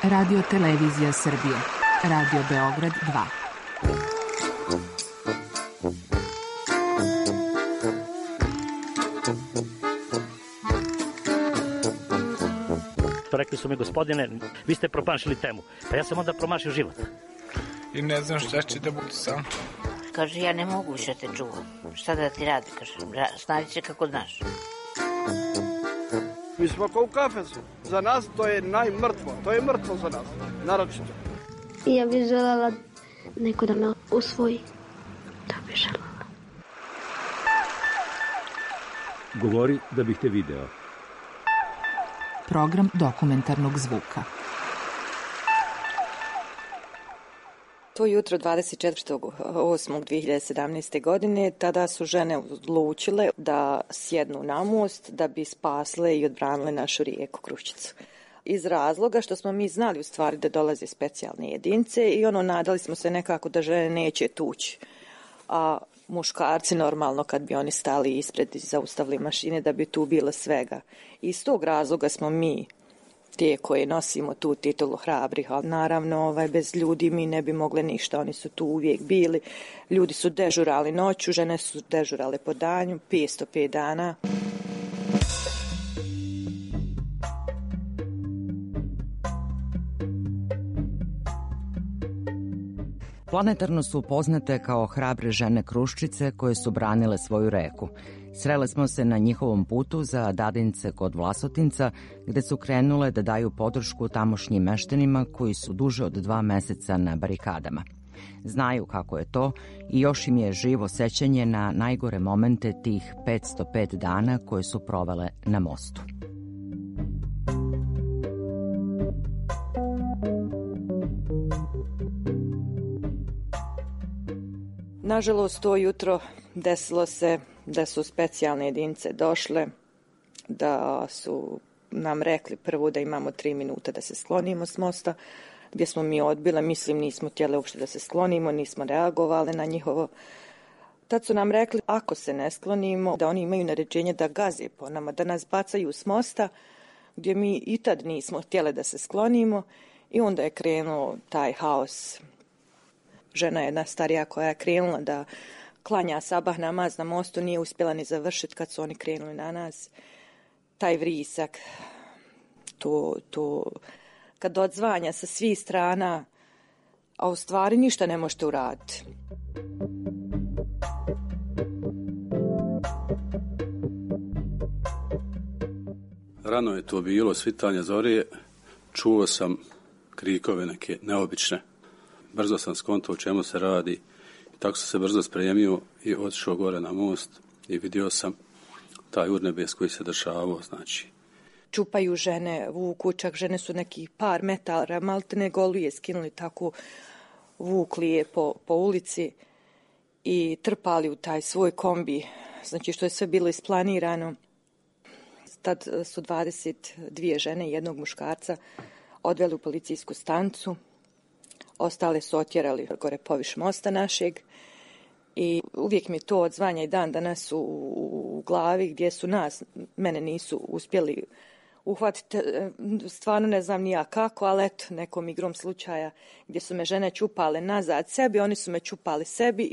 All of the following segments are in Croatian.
Radio Televizija Srbije. Radio Beograd 2. Rekli su mi, gospodine, vi ste promašili temu. Pa ja sam onda promašio život. I ne znam šta će da budu sam. Kaže, ja ne mogu više te čuvam. Šta da ti radi? Kaže, snađi se kako znaš. Mi smo kao u kafesu. Za nas to je najmrtvo. To je mrtvo za nas. Naročito. Ja bih željela neko da me usvoji. To bih željela. Govori da bih te video. Program dokumentarnog zvuka. To jutro 24.8.2017. godine, tada su žene odlučile da sjednu na most da bi spasle i odbranile našu rijeku Kruščicu. Iz razloga što smo mi znali u stvari da dolaze specijalne jedinice i nadali smo se nekako da žene neće tući. A muškarci normalno kad bi oni stali ispred i zaustavili mašine da bi tu bilo svega. Iz tog razloga smo mi te koje nosimo tu titulu hrabrih, ali naravno bez ljudi mi ne bi mogle ništa, oni su tu uvijek bili. Ljudi su dežurali noću, žene su dežurale po danju, 505 dana. Planetarno su poznate kao hrabre žene Kruščice koje su branile svoju reku. Srele smo se na njihovom putu za Dadince kod Vlasotinca, gde su krenule da daju podršku tamošnjim meštanima koji su duže od 2 meseca na barikadama. Znaju kako je to i još im je živo sećanje na najgore momente tih 505 dana koje su provele na mostu. Nažalost, to jutro desilo se da su specijalne jedinice došle, da su nam rekli prvo da imamo 3 minuta da se sklonimo s mosta, gdje smo mi odbile, nismo htjeli uopšte da se sklonimo, nismo reagovali na njihovo. Tad su nam rekli, ako se ne sklonimo, da oni imaju naređenje da gaze po nama, da nas bacaju s mosta, gdje mi i tad nismo htjeli da se sklonimo i onda je krenuo taj haos. Žena jedna starija koja je krenula da klanja sabah namaz na mostu nije uspjela ni završiti kad su oni krenuli na nas. Taj vrisak, to kad odzvanja sa svih strana, a u stvari ništa ne možete uraditi. Rano je to bilo, svitanje zore, čuo sam krikove neke neobične. Brzo sam skontao o čemu se radi. Tako sam se brzo spremio i otišao gore na most i vidio sam taj urnebes koji se dešavao, znači. Čupaju žene, vuku, čak žene su neki par metara, maltene golije skinuli, tako vukli je po ulici i trpali u taj svoj kombi, znači što je sve bilo isplanirano. Tad su 22 žene i jednog muškarca odveli u policijsku stanicu. Ostale su otjerali gore poviš mosta našeg i uvijek mi to odzvanja i dan danas u glavi gdje su mene nisu uspjeli uhvatiti, stvarno ne znam ni ja kako, ali eto, nekom igrom slučaja gdje su me žene čupale nazad sebi, oni su me čupali sebi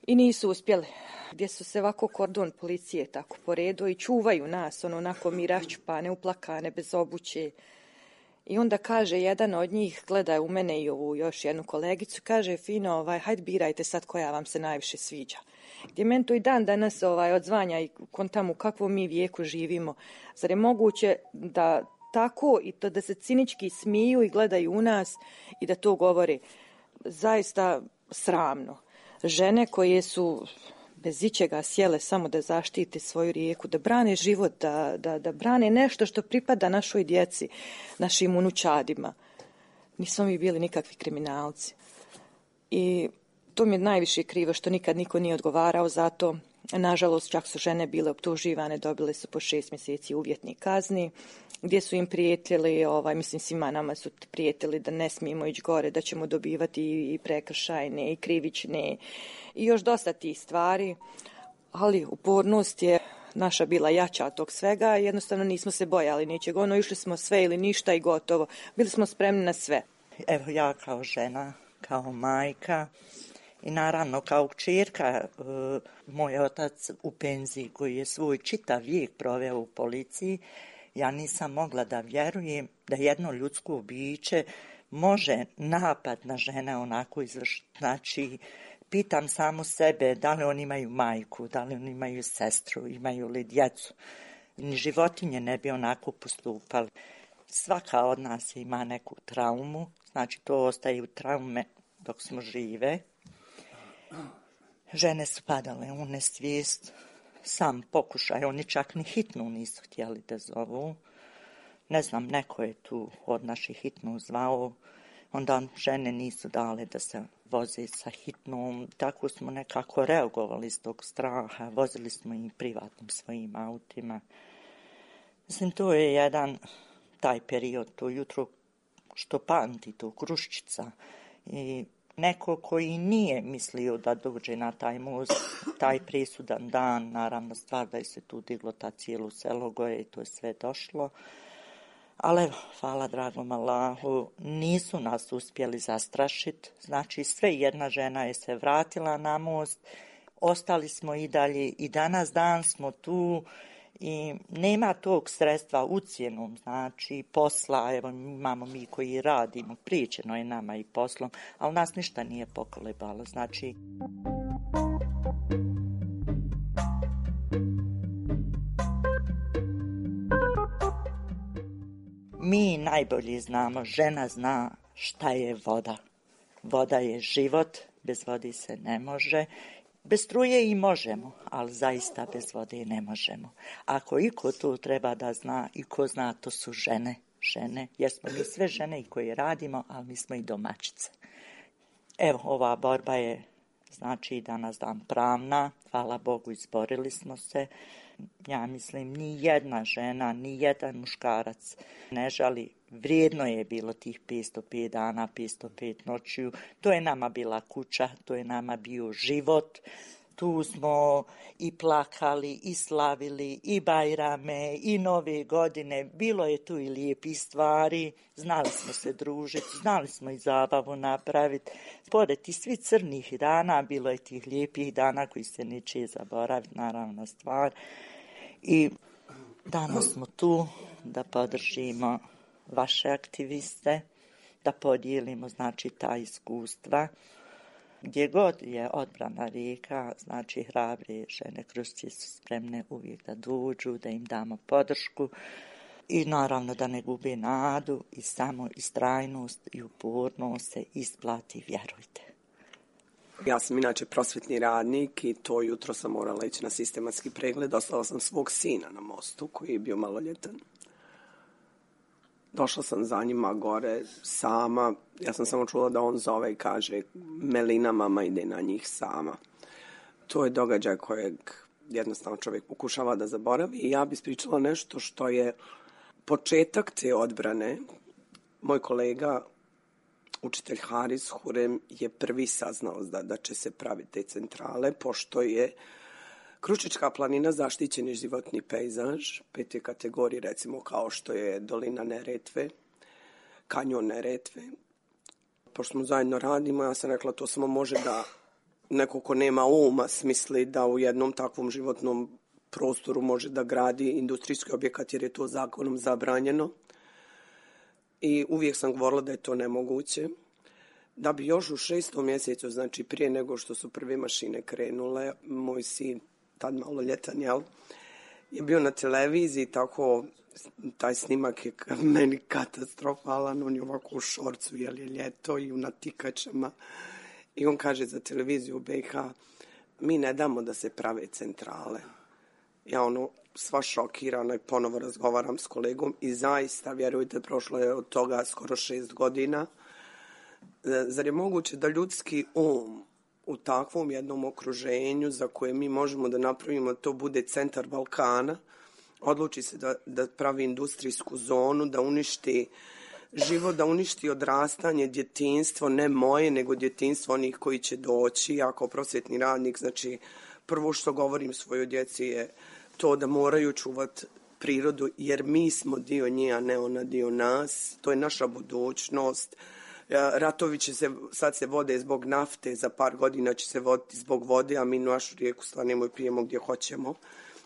i nisu uspjeli. Gdje su se ovako kordon policije tako poredo i čuvaju nas, onako mi raščupane, uplakane, bez obuće. I onda kaže jedan od njih, gleda u mene i ovu još jednu kolegicu, kaže fino, hajde birajte sad koja vam se najviše sviđa. Gdje meni to i dan danas odzvanja i kontam u kakvom mi vijeku živimo. Zar je moguće da tako i to da se cinički smiju i gledaju u nas i da to govori? Zaista sramno. Žene koje su bez ičega sjele samo da zaštite svoju rijeku, da brane život, da brane nešto što pripada našoj djeci, našim unučadima. Nismo mi bili nikakvi kriminalci. I to mi je najviše krivo što nikad niko nije odgovarao za to. Nažalost, čak su žene bile optuživane, dobile su po 6 mjeseci uvjetnih kazni, gdje su im prijetili, svima nama su prijetili da ne smijemo ići gore, da ćemo dobivati i prekršajne i krivične i još dosta tih stvari, ali upornost je naša bila jača od tog svega, jednostavno nismo se bojali ničeg. Išli smo sve ili ništa i gotovo. Bili smo spremni na sve. Evo ja kao žena, kao majka i naravno kao kćerka, moj otac u penziji koji je svoj čitav vijek proveo u policiji, ja nisam mogla da vjerujem da jedno ljudsko biće može napad na žene onako izvršiti. Znači, pitam samu sebe da li oni imaju majku, da li oni imaju sestru, imaju li djecu. Ni životinje ne bi onako postupali. Svaka od nas ima neku traumu, znači to ostaje u traume dok smo žive. Žene su padale u nesvijest, sam pokušaj, oni čak ni hitnu nisu htjeli da zovu. Ne znam, neko je tu od naših hitnu zvao, onda žene nisu dale da se voze sa hitnom. Tako smo nekako reagovali iz tog straha, vozili smo i privatnim svojim autima. Mislim, to je jedan taj period, to jutro što pamti, to Kruščica. I neko koji nije mislio da dođe na taj most, taj presudan dan, naravno stvar da je se tu diglo ta cijelo selo goje i to je sve došlo. Ali evo, hvala dragom Allahu, nisu nas uspjeli zastrašiti. Znači, sve jedna žena je se vratila na most, ostali smo i dalje i danas dan smo tu i nema tog sredstva ucjenom, znači posla, evo imamo mi koji radimo, pričeno je nama i poslom, ali nas ništa nije pokolebalo, znači... Mi najbolje znamo, žena zna šta je voda. Voda je život, bez vode se ne može. Bez struje i možemo, ali zaista bez vode ne možemo. Ako iko to treba da zna i ko zna, to su žene. Žene, jer smo mi sve žene i koje radimo, ali mi smo i domaćice. Evo, ova borba je, znači, danas dan pravna. Hvala Bogu, izborili smo se. Ja mislim, ni jedna žena, ni jedan muškarac ne žali. Vrijedno je bilo tih 505 dana, 505 noćiju. To je nama bila kuća, to je nama bio život. Tu smo i plakali, i slavili, i Bajrame, i Nove godine. Bilo je tu i lijepih stvari. Znali smo se družiti, znali smo i zabavu napraviti. Pored tih svi crnih dana, bilo je tih lijepih dana koji se neće zaboraviti, naravna stvar. I danas smo tu da podržimo vaše aktiviste, da podijelimo, znači, ta iskustva. Gdje god je odbrana rijeka, znači hrabre žene Kruščice su spremne uvijek da dođu, da im damo podršku i naravno da ne gube nadu i samo istrajnost i upornost se isplati, vjerujte. Ja sam inače prosvjetni radnik i to jutro sam morala ići na sistematski pregled. Ostala sam svog sina na mostu koji je bio maloljetan. Došla sam za njima gore sama. Ja sam samo čula da on zove i kaže Melina, mama ide na njih sama. To je događaj kojeg jednostavno čovjek pokušava da zaboravi. I ja bih ispričala nešto što je početak te odbrane. Moj kolega, učitelj Haris Hurem, je prvi saznao da će se praviti te centrale, pošto je Kruščička planina zaštićeni životni pejzaž, 5. kategorije, recimo kao što je dolina Neretve, kanjon Neretve. Pošto smo zajedno radimo, ja sam rekla to samo može da neko ko nema uma smisli da u jednom takvom životnom prostoru može da gradi industrijski objekat jer je to zakonom zabranjeno. I uvijek sam govorila da je to nemoguće. Da bi još u 6. mjesecu, znači prije nego što su prve mašine krenule, moj sin, tad maloljetan, je bio na televiziji, tako taj snimak je meni katastrofalan, on je ovako u šorcu, jer je ljeto i u natikačama. I on kaže za televiziju BiH, mi ne damo da se prave centrale. Ja sva šokirana i ponovo razgovaram s kolegom i zaista, vjerujte, prošlo je od toga skoro 6 godina. Zar je moguće da ljudski u takvom jednom okruženju za koje mi možemo da napravimo, to bude centar Balkana, odluči se da pravi industrijsku zonu, da uništi život, da uništi odrastanje, djetinjstvo, ne moje, nego djetinjstvo onih koji će doći. Ja kao prosvjetni radnik, znači, prvo što govorim svojoj djeci je to da moraju čuvati prirodu, jer mi smo dio nje, a ne ona dio nas. To je naša budućnost. Ratovi sad se vode zbog nafte, za par godina će se voditi zbog vode, a mi našu rijeku slanemo i pijemo gdje hoćemo,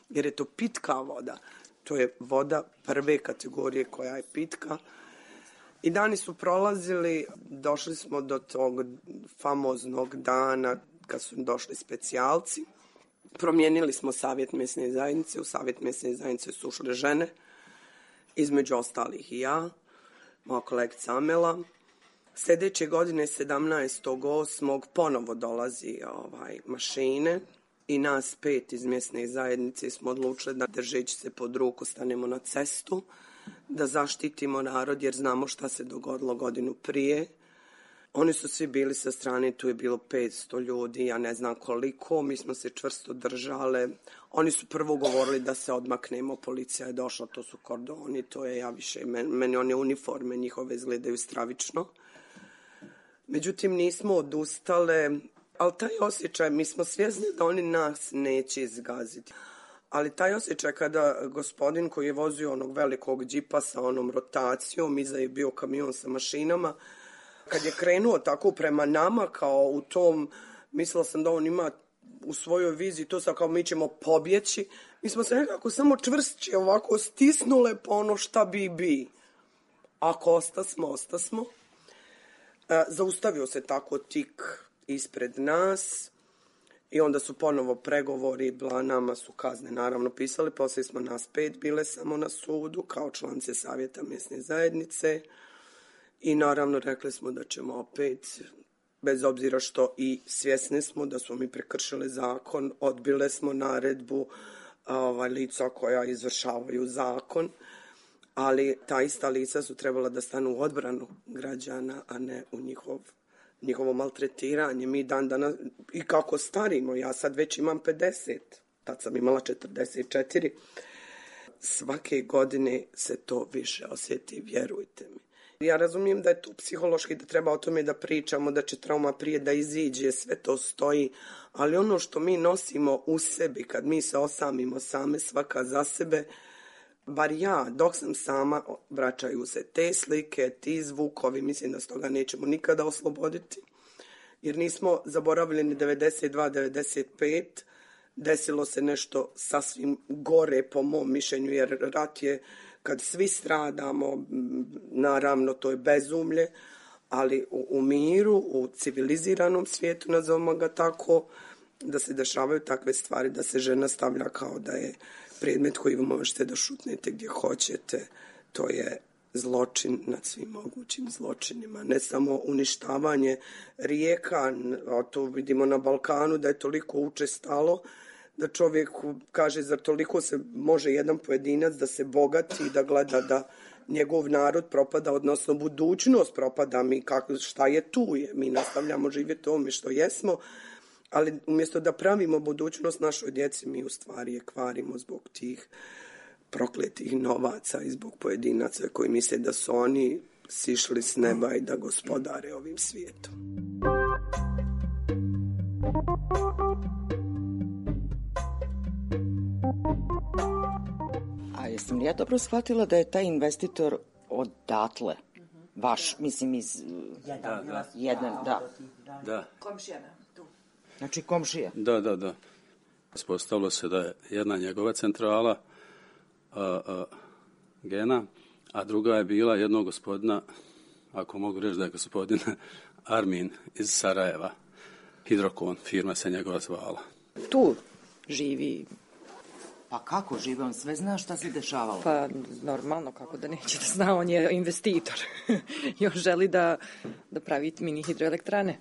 jer je to pitka voda. To je voda prve kategorije koja je pitka. I dani su prolazili, došli smo do tog famoznog dana kad su došli specijalci. Promijenili smo savjet mjesne zajednice, u savjet mjesne zajednice su ušle žene, između ostalih i ja, moja kolegica Amela. Sljedeće godine 17.8. ponovo dolazi mašine i nas 5 iz mjesne zajednice smo odlučili da držeći se pod ruku stanemo na cestu, da zaštitimo narod jer znamo šta se dogodilo godinu prije. Oni su svi bili sa strane, tu je bilo 500 ljudi, ja ne znam koliko, mi smo se čvrsto držale. Oni su prvo govorili da se odmaknemo, policija je došla, to su kordoni, to je meni one uniforme njihove izgledaju stravično. Međutim, nismo odustale, ali taj osjećaj, mi smo svjesni da oni nas neće izgaziti. Ali taj osjećaj kada gospodin koji je vozio onog velikog džipa sa onom rotacijom, iza je bio kamion sa mašinama, kad je krenuo tako prema nama kao u tom, mislila sam da on ima u svojoj viziji to sad kao mi ćemo pobjeći, mi smo se nekako samo čvršće ovako stisnule po ono šta bi. Ako ostasmo. Zaustavio se tako tik ispred nas i onda su ponovo pregovori, nama su kazne naravno pisali, poslije smo nas 5 bile samo na sudu kao članice savjeta mjesne zajednice i naravno rekli smo da ćemo opet, bez obzira što i svjesni smo da smo mi prekršili zakon, odbile smo naredbu lica koja izvršavaju zakon, ali ta ista lica su trebala da stanu u odbranu građana, a ne u njihovo maltretiranje. Mi dan danas, i kako starimo, ja sad već imam 50, tad sam imala 44, svake godine se to više osjeti, vjerujte mi. Ja razumijem da je to psihološki, da treba o tome da pričamo, da će trauma prije da iziđe, sve to stoji, ali ono što mi nosimo u sebi, kad mi se osamimo same, svaka za sebe, bar ja, dok sam sama, vraćaju se te slike, ti zvukovi, mislim da s toga nećemo nikada osloboditi, jer nismo zaboravili ni 92, 95, desilo se nešto sasvim gore po mom mišljenju, jer rat je, kad svi stradamo, naravno to je bezumlje, ali u miru, u civiliziranom svijetu, nazovimo ga tako, da se dešavaju takve stvari, da se žena stavlja kao da je predmet koji možete da šutnete gdje hoćete, to je zločin nad svim mogućim zločinima. Ne samo uništavanje rijeka, a to vidimo na Balkanu da je toliko učestalo, da čovjek kaže zar toliko se može jedan pojedinac da se bogati i da gleda da njegov narod propada, odnosno budućnost propada, šta je tu je, mi nastavljamo živjeti ovome što jesmo, ali umjesto da pravimo budućnost našoj djeci, mi u stvari je kvarimo zbog tih prokletih novaca i zbog pojedinaca koji misle da su oni sišli s neba i da gospodare ovim svijetom. A jesam li ja dobro shvatila da je taj investitor odatle? Vaš, mislim iz... Jedan, da. Komšijana, tu. Znači komšija? Da. Ispostavilo se da je jedna njegova centrala Gena, a druga je bila jednog gospodina, ako mogu reći da je gospodin Armin iz Sarajeva. Hidrokon, firma se njegova zvala. Tu živi. Pa kako živi? On sve zna šta se dešavalo? Pa normalno, kako da neće da zna, on je investitor. I on želi da pravi mini hidroelektrane.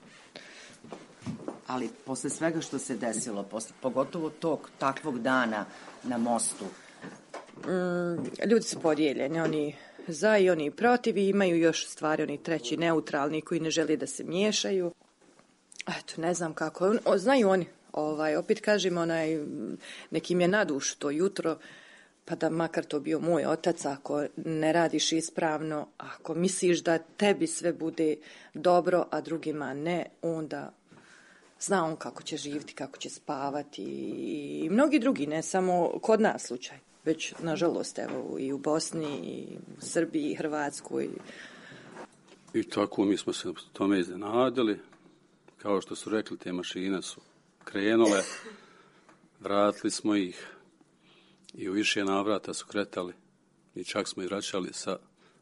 Ali posle svega što se desilo, pogotovo tog takvog dana na mostu, ljudi su podijeljeni, oni za i oni protiv i imaju još stvari, oni treći neutralni koji ne žele da se miješaju. Eto, ne znam kako. Znaju oni, opet kažem, nekim je na dušu to jutro, pa da makar to bio moj otac, ako ne radiš ispravno, ako misliš da tebi sve bude dobro, a drugima ne, onda Zna on kako će živjeti, kako će spavati i mnogi drugi, ne samo kod nas slučaj, već nažalost evo i u Bosni, i u Srbiji, i Hrvatskoj. I tako mi smo se tome iznenadili. Kao što su rekli, te mašine su krenule, vratili smo ih i u više navrata su kretali i čak smo ih vraćali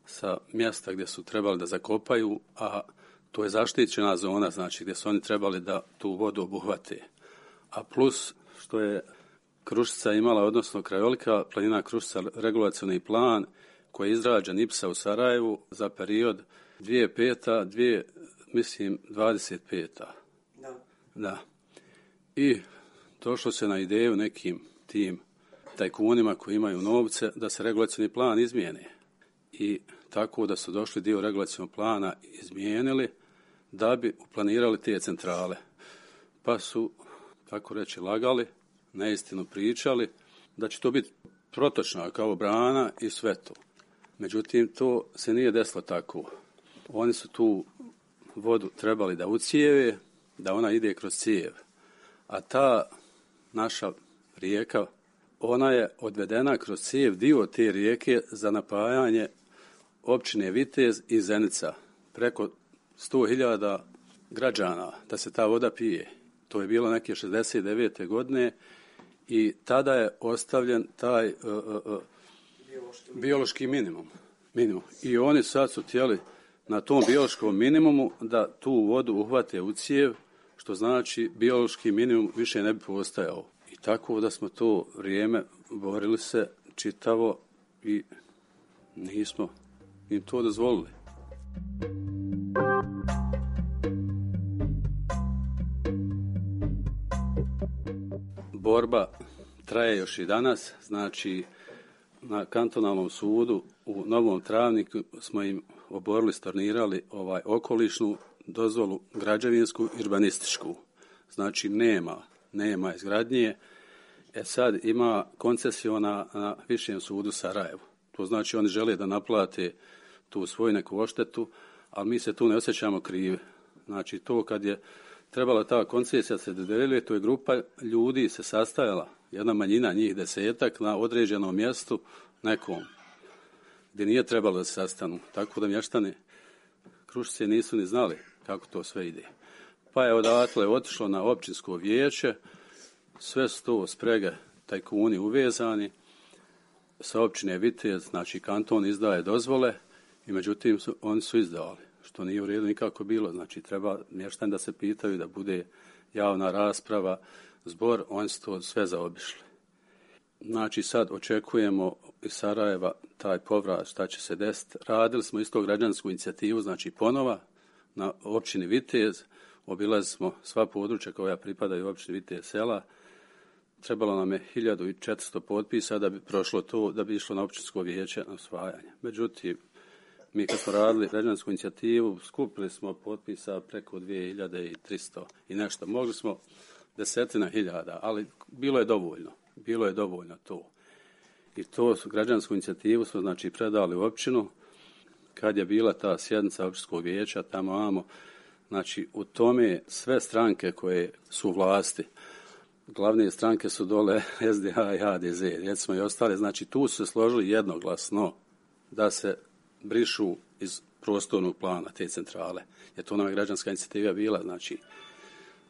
sa mjesta gdje su trebali da zakopaju, a to je zaštićena zona, znači gdje su oni trebali da tu vodu obuhvate. A plus što je Kruščica imala, odnosno Krajolika planina Kruščica, regulacioni plan koji je izrađen IPSA u Sarajevu za period 2005. 25. Da. I došlo se na ideju nekim tim tajkunima koji imaju novce da se regulacioni plan izmijene. I tako da su došli dio regulacionog plana izmijenili da bi uplanirali te centrale. Pa su, tako reći, lagali, neistinu pričali, da će to biti protočna kao brana i sve to. Međutim, to se nije desilo tako. Oni su tu vodu trebali da ucijeve, da ona ide kroz cijev. A ta naša rijeka, ona je odvedena kroz cijev, dio te rijeke za napajanje općine Vitez i Zenica. Preko 100.000 građana da se ta voda pije. To je bilo neke 69. godine i tada je ostavljen taj biološki minimum. I oni sad su htjeli na tom biološkom minimumu da tu vodu uhvate u cijev, što znači biološki minimum više ne bi postajao. I tako da smo to vrijeme borili se čitavo i nismo im to dozvolili. Borba traje još i danas, znači na kantonalnom sudu u Novom Travniku smo im oborili, stornirali okolišnu dozvolu, građevinsku i urbanističku. Znači nema izgradnje. Sad ima koncesiona na Višem sudu Sarajevu. To znači oni žele da naplate tu svoju neku odštetu, ali mi se tu ne osjećamo krivi. Znači to kad je trebala ta koncesija se dodjeljuje, to je grupa ljudi se sastajala, jedna manjina njih 10 na određenom mjestu nekom, gdje nije trebalo da se sastanu. Tako da mještani Kruščice nisu ni znali kako to sve ide. Pa je odatle otišlo na općinsko vijeće, sve su to sprege tajkuni uvezani, sa općine Vitez, znači kanton izdaje dozvole i međutim oni su izdavali, što nije u redu nikako bilo. Znači treba mještani da se pitaju, da bude javna rasprava, zbor, oni su to sve zaobišli. Znači sad očekujemo iz Sarajeva taj povrat, šta će se desiti. Radili smo isto građansku inicijativu, znači ponova na općini Vitez, obilazili smo sva područja koja pripadaju općini Vitez sela. Trebalo nam je 1400 potpisa da bi prošlo to, da bi išlo na općinsko vijeće na usvajanje. Međutim, mi kad smo radili građansku inicijativu, skupili smo potpisa preko 2300 i nešto. Mogli smo 10.000, ali bilo je dovoljno to. I to građansku inicijativu smo znači predali u općinu. Kad je bila ta sjednica općinskog vijeća, tamo znači u tome sve stranke koje su u vlasti, glavne stranke su dole SDA i HDZ, recimo i ostale, znači tu su se složili jednoglasno da se brišu iz prostornog plana te centrale. Jer to nam je građanska inicijativa bila, znači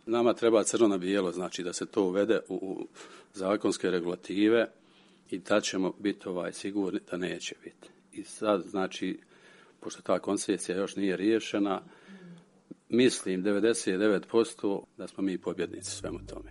nama treba crno na bijelo, znači da se to uvede u zakonske regulative i da ćemo biti sigurni da neće biti. I sad, znači, pošto ta koncesija još nije riješena, mislim 99% da smo mi pobjednici svemu tome.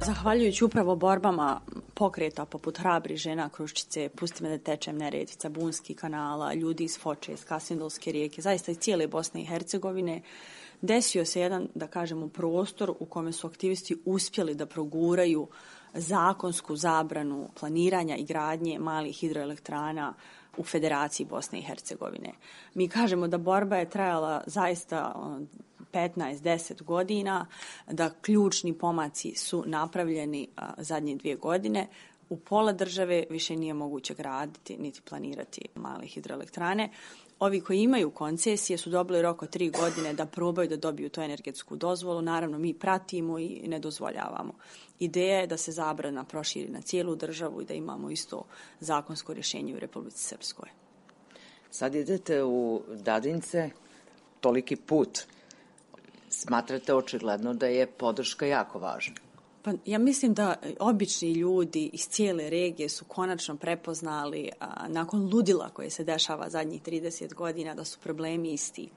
Zahvaljujući upravo borbama pokreta poput Hrabri žena Kruščice, Pusti me da tečem, Neretvica, Bunski kanala, ljudi iz Foče, iz Kasindolske rijeke, zaista iz cijele Bosne i Hercegovine, desio se jedan, da kažemo, prostor u kome su aktivisti uspjeli da proguraju zakonsku zabranu planiranja i gradnje malih hidroelektrana u Federaciji Bosne i Hercegovine. Mi kažemo da borba je trajala zaista 15-10 godina, da ključni pomaci su napravljeni zadnje 2 godine. U pola države više nije moguće graditi niti planirati male hidroelektrane. Ovi koji imaju koncesije su dobili rok od 3 godine da probaju da dobiju tu energetsku dozvolu. Naravno, mi pratimo i ne dozvoljavamo. Ideja je da se zabrana proširi na cijelu državu i da imamo isto zakonsko rješenje u Republici Srpskoj. Sad idete u Dadince, toliki put. Smatrate očigledno da je podrška jako važna. Pa ja mislim da obični ljudi iz cijele regije su konačno prepoznali nakon ludila koje se dešava zadnjih 30 godina da su problemi isti,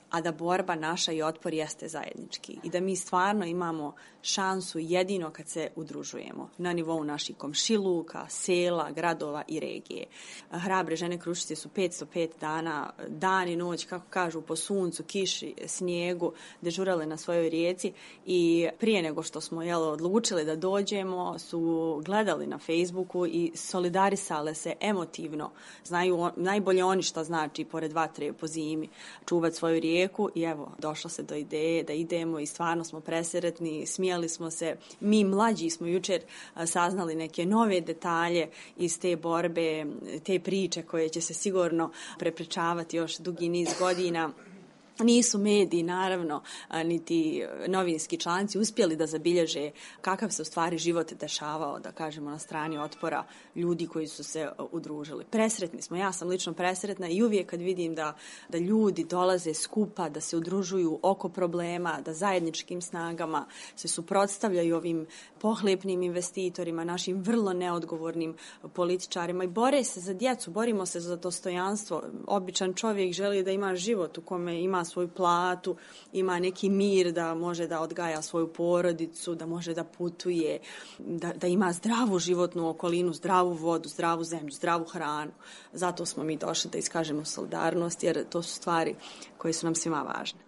a da borba naša i otpor jeste zajednički i da mi stvarno imamo šansu jedino kad se udružujemo na nivou naših komšiluka, sela, gradova i regije. Hrabre žene Kruščice su 505 dana, dan i noć, kako kažu, po suncu, kiši, snijegu, dežurale na svojoj rijeci i prije nego što smo odlučili da dođemo su gledali na Facebooku i solidarisale se emotivno. Znaju najbolje oni šta znači pored vatre po zimi čuvati svoju rijeku i evo, došlo se do ideje da idemo i stvarno smo presretni, smijali smo se. Mi mlađi smo jučer saznali neke nove detalje iz te borbe, te priče koje će se sigurno prepričavati još dugi niz godina. Nisu mediji, naravno, niti novinski članci uspjeli da zabilježe kakav se u stvari život dešavao, da kažemo, na strani otpora ljudi koji su se udružili. Presretni smo, ja sam lično presretna i uvijek kad vidim da ljudi dolaze skupa, da se udružuju oko problema, da zajedničkim snagama se suprotstavljaju ovim pohlepnim investitorima, našim vrlo neodgovornim političarima i bore se za djecu, borimo se za dostojanstvo. Običan čovjek želi da ima život u kome ima svoju platu, ima neki mir da može da odgaja svoju porodicu, da može da putuje, da ima zdravu životnu okolinu, zdravu vodu, zdravu zemlju, zdravu hranu. Zato smo mi došli da iskažemo solidarnost, jer to su stvari koje su nam svima važne.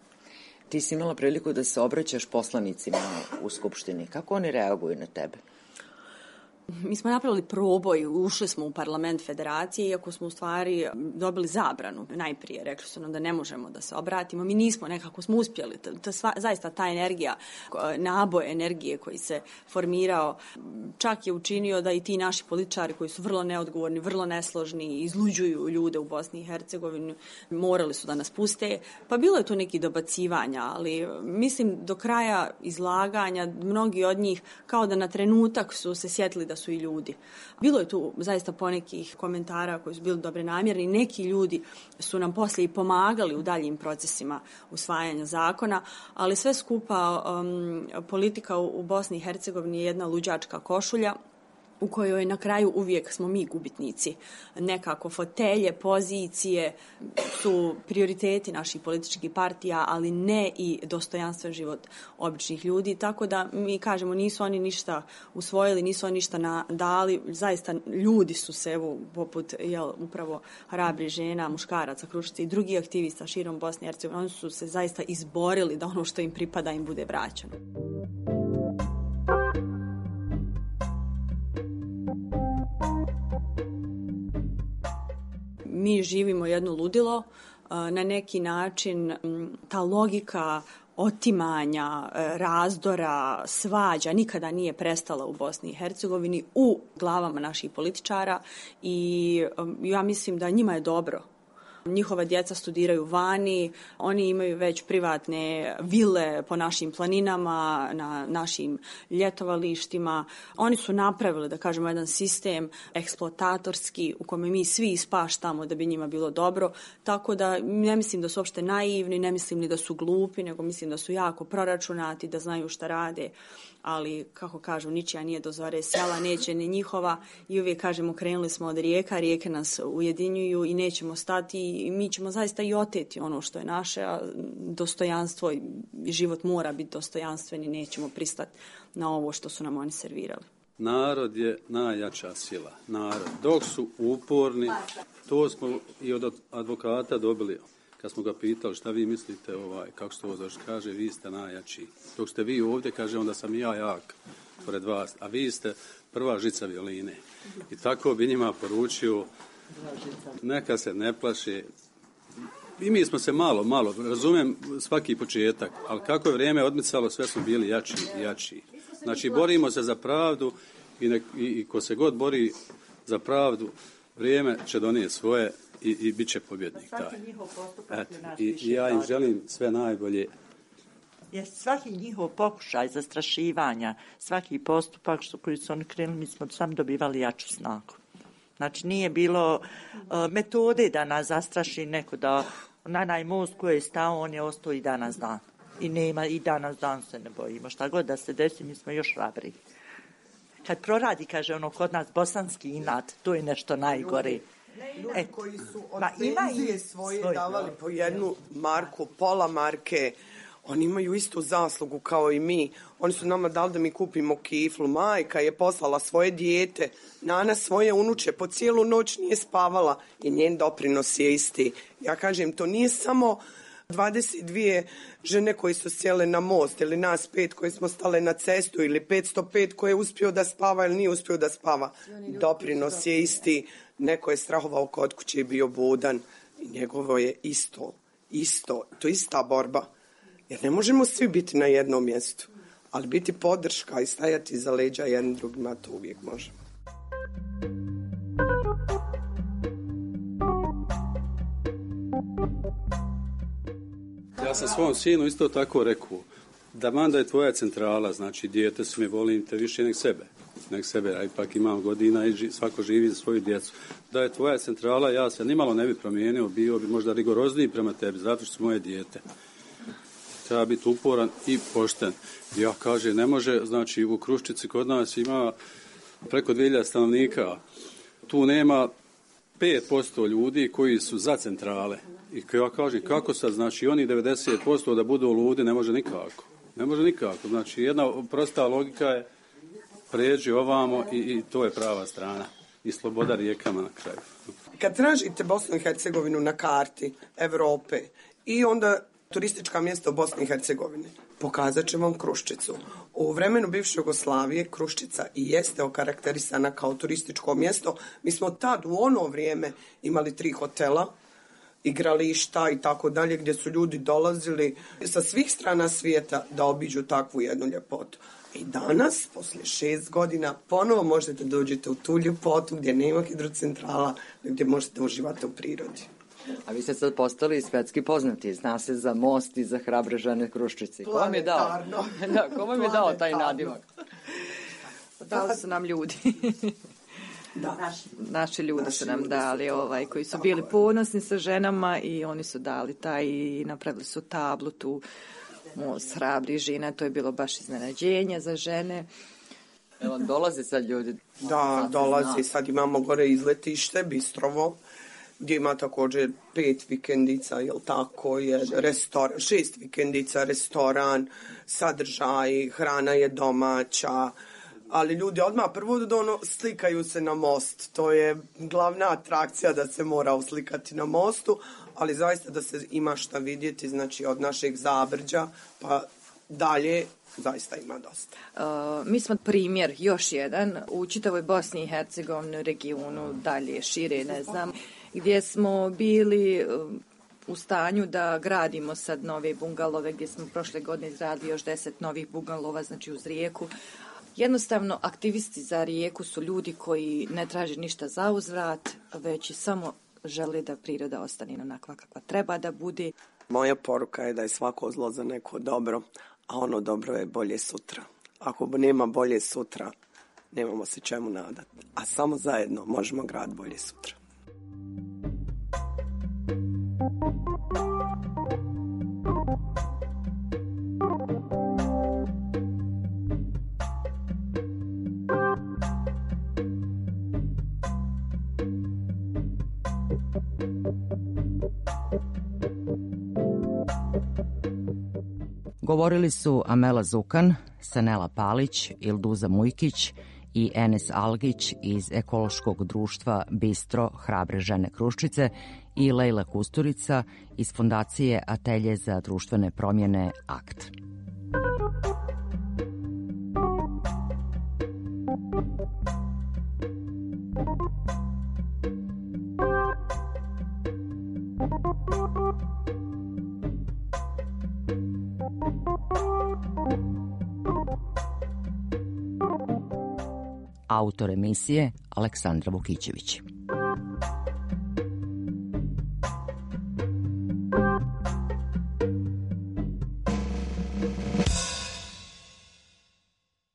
Ti si imala priliku da se obraćaš poslanicima u Skupštini. Kako oni reaguju na tebe? Mi smo napravili proboj, ušli smo u parlament federacije, iako smo u stvari dobili zabranu. Najprije rekli su nam da ne možemo da se obratimo. Mi nismo, nekako smo uspjeli. Zaista ta energija, naboj energije koji se formirao, čak je učinio da i ti naši političari koji su vrlo neodgovorni, vrlo nesložni, izluđuju ljude u Bosni i Hercegovini, morali su da nas puste. Pa bilo je tu neki dobacivanja, ali mislim do kraja izlaganja mnogi od njih kao da na trenutak su se sjetili da su i ljudi. Bilo je tu zaista ponekih komentara koji su bili dobre namjerni. Neki ljudi su nam poslije i pomagali u daljim procesima usvajanja zakona, ali sve skupa politika u Bosni i Hercegovini je jedna luđačka košulja u kojoj na kraju uvijek smo mi gubitnici. Nekako fotelje, pozicije su prioriteti naših političkih partija, ali ne i dostojanstven život običnih ljudi. Tako da mi kažemo nisu oni ništa usvojili, nisu oni ništa dali. Zaista ljudi su se, evo, poput upravo hrabrih žena, muškaraca, Kruščice i drugih aktivista širom Bosne i Hercegovine, oni su se zaista izborili da ono što im pripada im bude vraćeno. Mi živimo jedno ludilo, na neki način ta logika otimanja, razdora, svađa nikada nije prestala u Bosni i Hercegovini u glavama naših političara i ja mislim da njima je dobro. Njihova djeca studiraju vani, oni imaju već privatne vile po našim planinama, na našim ljetovalištima. Oni su napravili, da kažemo, jedan sistem eksploatatorski u kome mi svi ispaštamo da bi njima bilo dobro. Tako da ne mislim da su uopšte naivni, ne mislim ni da su glupi, nego mislim da su jako proračunati, da znaju šta rade. Ali, kako kažu, ničija nije do zore sela, neće ni njihova i uvijek kažemo krenuli smo od rijeka, rijeke nas ujedinjuju i nećemo stati i mi ćemo zaista i oteti ono što je naše, a dostojanstvo i život mora biti dostojanstven i nećemo pristati na ovo što su nam oni servirali. Narod je najjača sila. Narod. Dok su uporni, to smo i od advokata dobili. Kad smo ga pitali šta vi mislite, kako ste ovo zašto, kaže vi ste najjači. Dok ste vi ovdje, kaže onda sam i ja jak pored vas, a vi ste prva žica violine. I tako bi njima poručio, neka se ne plaše. I mi smo se malo, razumijem svaki početak, ali kako je vrijeme odmicalo, sve smo bili jači i jači. Znači, borimo se za pravdu i ko se god bori za pravdu, vrijeme će donijeti svoje i bit će pobjednik taj. Svaki njihov postupak je naš I ja im želim sve najbolje. Jer svaki njihov pokušaj zastrašivanja, svaki postupak koji su oni krenuli, mi smo sam dobivali jaču snagu. Znači nije bilo metode da nas zastraši neko, da onaj most koji je stao, on je ostao i danas dan. I nema, i danas dan se ne bojimo. Šta god da se desi, mi smo još hrabri. Kad proradi, kaže ono kod nas bosanski inat, to je nešto najgore. Ljudi koji su od penzije svoje davali po 1 marku, pola marke, oni imaju istu zaslugu kao i mi. Oni su nama dali da mi kupimo kiflu. Majka je poslala svoje dijete, Nana svoje unuče, po cijelu noć nije spavala i njen doprinos je isti. Ja kažem, to nije samo 22 žene koje su sjele na most ili nas 5 koje smo stale na cestu ili 505 koje je uspio da spava ili nije uspio da spava. Doprinos je isti. Neko je strahovao kod kuće i bio budan i njegovo je isto. To je ista borba. Jer ne možemo svi biti na jednom mjestu, ali biti podrška i stajati iza leđa jednim drugima, to uvijek možemo. Ja sam svom sinu isto tako rekao, da manda je tvoja centrala, znači dijete su mi, volim te više nek sebe, a ipak imam godina i svako živi za svoju djecu. Da je tvoja centrala, ja se nimalo ne bi promijenio, bio bi možda rigorozniji prema tebi, zato što su moje dijete. Treba biti uporan i pošten. Ja kažem, ne može, znači u Kruščici kod nas ima preko 2000 stanovnika. Tu nema 5% ljudi koji su za centrale. I ja kažem, kako sad, znači oni 90% da budu ludi, ne može nikako. Znači jedna prosta logika je pređi ovamo i to je prava strana. I sloboda rijekama na kraju. Kad tražite Bosnu i Hercegovinu na karti Evrope i onda turistička mjesta u Bosni i Hercegovini, pokazat će vam Kruščicu. U vremenu bivše Jugoslavije Kruščica i jeste okarakterisana kao turističko mjesto. Mi smo tad u ono vrijeme imali 3 hotela, igrališta i tako dalje, gdje su ljudi dolazili sa svih strana svijeta da obiđu takvu jednu ljepotu. I danas, poslije 6 godina, ponovo možete dođete u tu ljepotu gdje nema hidrocentrala, gdje možete uživati u prirodi. A vi ste sad postali svjetski poznati, zna se za most i za hrabre žene Kruščice. Ko vam je dao? Ko vam je dao taj nadimak? Dali su nam ljudi. Naši ljudi su nam dali koji su bili ponosni sa ženama i oni su dali taj i napravili su tablu tu most hrabri žena, to je bilo baš iznenađenje za žene. Evo, dolaze sad ljudi. Da, dolaze, sad imamo gore izletište, Bistrovo, gdje ima također 5 vikendica, jel tako, 6 vikendica, restoran, sadržaj, hrana je domaća, ali ljudi odmah prvo slikaju se na most. To je glavna atrakcija da se mora uslikati na mostu, ali zaista da se ima šta vidjeti, znači od našeg Zabrđa pa dalje zaista ima dosta. Mi smo primjer, još jedan, u čitavoj Bosni i Hercegovini, regionu, dalje, šire, ne znam, gdje smo bili u stanju da gradimo sad nove bungalove, gdje smo prošle godine izradili još 10 novih bungalova, znači uz rijeku. Jednostavno, aktivisti za rijeku su ljudi koji ne traže ništa za uzvrat, već samo žele da priroda ostane onakva kakva treba da bude. Moja poruka je da je svako zlo za neko dobro, a ono dobro je bolje sutra. Ako nema bolje sutra, nemamo se čemu nadati. A samo zajedno možemo graditi bolje sutra. Govorili su Amela Zukan, Sanela Palić, Ilduza Mujkić i Enes Algić iz ekološkog društva Bistro hrabre žene Kruščice i Lejla Kusturica iz fondacije Atelje za društvene promjene AKT. Autor emisije Aleksandra Vukićević.